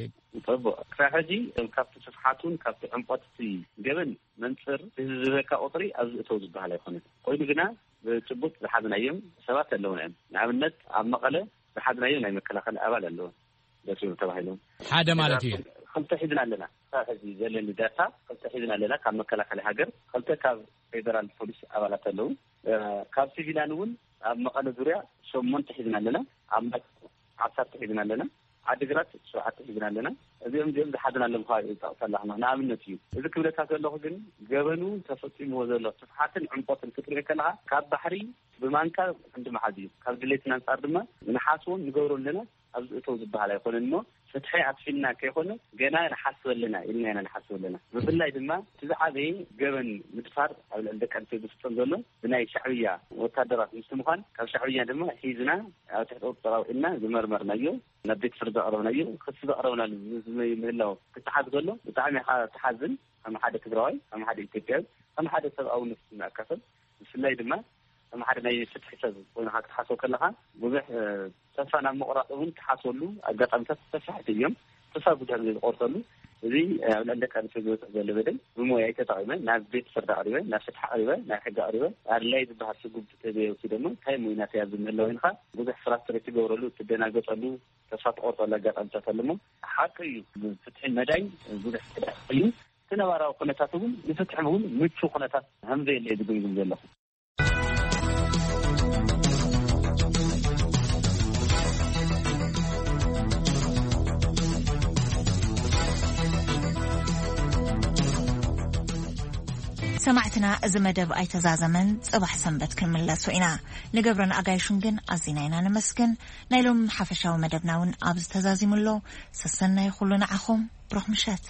ፅቡቅ። ክሳብ ሕጂ ካብቲ ስፍሓቱን ካብቲ ዕምቆት እቲ ገበን መንፅር ህዝቢ ዝበካ ቁፅሪ ኣብዚ እተው ዝበሃል ኣይኮነን። ኮይኑ ግና ብጭቡጥ ዝሓዝናዮም ሰባት ኣለውና እዮም። ንኣብነት ኣብ መቐለ ዝሓዝናዮ ናይ መከላኸሊ ኣባል ኣለዎ። ደስም ተባሂሎም ሓደ ማለት እዩ። ክልተ ሒዝና ኣለና። ካብ ሕዚ ዘለኒ ዳታ ክልተ ሒዝና ኣለና። ካብ መከላኸሊ ሃገር ክልተ ካብ ፌደራል ፖሊስ ኣባላት ኣለዉ። ካብ ሲቪላን እውን ኣብ መቐለ ዙርያ ሸሞንተ ሒዝና ኣለና። ኣብ ዓሰርተ ሒዝና ኣለና። ዓዲግራት ሸውዓተ ሒዝና ኣለና። እዚኦም እዚኦም ዝሓዝና ኣለኹ ይጠቕሰ ኣለኹ። ንኣብነት እዩ እዚ ክብለካ ዘለኹ ግን ገበኑ ተፈፂምዎ ዘሎ ስፍሓትን ዕምቆትን ክትርኢ ከለኻ ካብ ባሕሪ ብማንካ ክንዲ መሓዝ እዩ። ካብ ድሌትና ኣንፃር ድማ ንሓስቦን ንገብሮ ኣለና ኣብዚ እተው ዝበሃል ኣይኮነን እሞ ፍትሒ ኣስፊንና ከይኮነ ገና ንሓስብ ኣለና ኢልና ኢና ንሓስብ ኣለና። ብፍላይ ድማ እቲ ዝዓበየ ገበን ምድፋር ኣብ ልዕሊ ደቂ ኣንስትዮ ዝፍፀም ዘሎ ብናይ ሻዕብያ ወታደራት ምስቲ ምዃን ካብ ሻዕብያ ድማ ሒዝና ኣብ ትሕቲ ቁፅፅር ኣውዒልና ዝመርመርናዮ ናብ ቤት ፍርዲ ኣቕረብናዮ። ክሲ ዘቕረብናሉ ምህላው ክትሓዝ ከሎ ብጣዕሚ ኢኻ ትሓዝን። ከም ሓደ ትግራዋይ ከም ሓደ ኢትዮጵያዊ ከም ሓደ ሰብኣዊ ነፍሲ እናኣካፈል ብፍላይ ድማ ከም ሓደ ናይ ፍትሒ ሰብ ኮይንካ ክትሓስቦ ከለካ ብዙሕ ተስፋ ናብ ምቑራፅ እውን ትሓስበሉ ኣጋጣሚታት ሰፋሕቲ እዮም። ተስፋ ብዙሕ ግዜ ዝቆርፀሉ እዚ ኣብ ልዕሊ ደቂ ኣንስትዮ ዝበፅሕ ዘሎ በደል ብሞያይ ተጠቒመ ናብ ቤት ፍርዲ ኣቕሪበ ናብ ፍትሒ ኣቕሪበ ናብ ሕጊ ኣቕሪበ ኣድላይ ዝበሃል ስጉምቲ ተዘየውሲደ እሞ እንታይ ሞይናት ኣብዚ ምህላው ኢልካ ብዙሕ ፍራስትሬት ትገብረሉ ትደናገፀሉ ተስፋ ትቆርፀሉ ኣጋጣሚታት ኣሎ እሞ ሓቂ እዩ። ፍትሒ መዳይ ብዙሕ ተዳኺ እዩ። እቲ ነባራዊ ኩነታት እውን ንፍትሒ እውን ምቹ ኩነታት ከም ዘየለ ዝግምግም ዘለኹ። ሰማዕትና እዚ መደብ ኣይተዛዘመን። ጽባሕ ሰንበት ክንምለሶ ኢና። ንገብረን ኣጋይሹን ግን ኣዚና ኢና ነመስግን። ናይ ሎም ሓፈሻዊ መደብና እውን ኣብዚ ተዛዚሙ ኣሎ። ሰሰናይ ኩሉ ንዓኹም። ብሩኽ ምሸት።